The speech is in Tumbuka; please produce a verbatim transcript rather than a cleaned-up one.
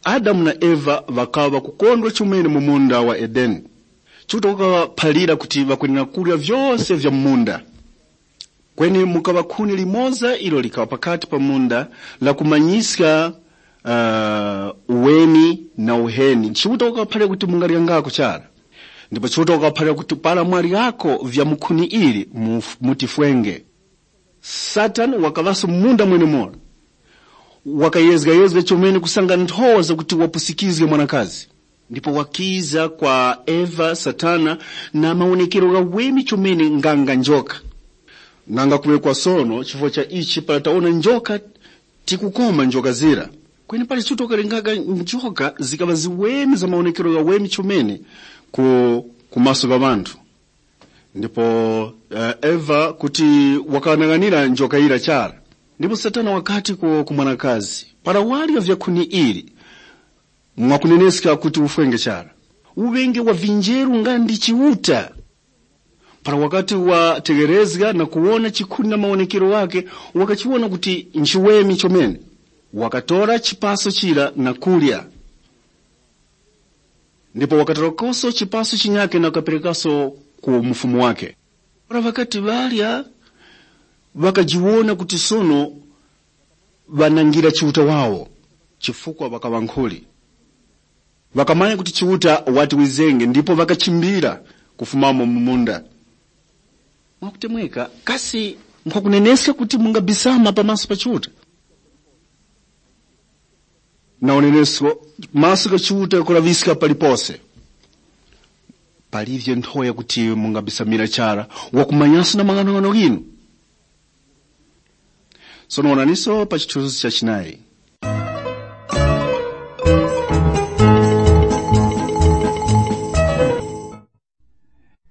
Adamu na Eva ŵakaŵa ŵakukondwa chomene mu munda wa Edeni. Chiuta wakaŵaphalira kuti ŵakwenera kurya vyose vya mu munda. Kweni mukaŵa khuni limoza ilo likaŵa pakati pa munda lakumanyiska uh, uweni na uheni. Chiuta wakaŵaphalira kuti mungaryangako chara. Ndipo Chiuta wakaŵaphalira kuti para mwaryako vya mu khuni ili, mutifwenge. Satana wakaŵaso munda mwenemura. Wakayezgayezga chomene kusanga nthowa zakuti wapusikizge mwanakazi. Ndipo wakiza kwa Eva Satana na mawonekero ghaweme chomene nganga njoka. Nanga kuŵe kwa sono chifukwa cha ichi para tawona njoka, tikukoma njoka zira. Kweni pali chuto kalengaka njoka zikaŵa ziweme za mawonekero ghaweme chomene ku, ku maso gha ŵanthu. Ndipo uh, Eva kuti wakanang'anira njoka yira chara. Ndipo Satana wakati ku, ku mwanakazi, para warya vya khuni ili, mwakuneneska kuti ufwenge chara. Uŵenge wa vinjeru nga ndi Chiuta. Para wakati wategherezga na kuwona chikhuni na mawonekero ghakhe, wakachiwona kuti nchiweme chomene. Wakatora chipaso chira na kurya. Ndipo wakatorakoso chipaso chinyakhe na kukaperekaso ku mufumu wakhe. Para ŵakati ŵarya, ŵakajiwona kuti sono ŵanangira Chiuta wawo, chifukwa ŵakaŵa nkhuli. Ŵakamanya kuti Chiuta wati wizenge ndipo ŵakachimbira kufumamo mu munda. Mwakutemweka, kasi nkhwakuneneska kuti mungabisama pamaso pa Chiuta? Na unenesko, maso gha Chiuta ghakulaŵiska palipose. Palivye nthowa yakuti mungabisamira chara, wakumanyaso na mang'anong'ano ghinu. Sono wonaniso pa chithunzi cha chinayi.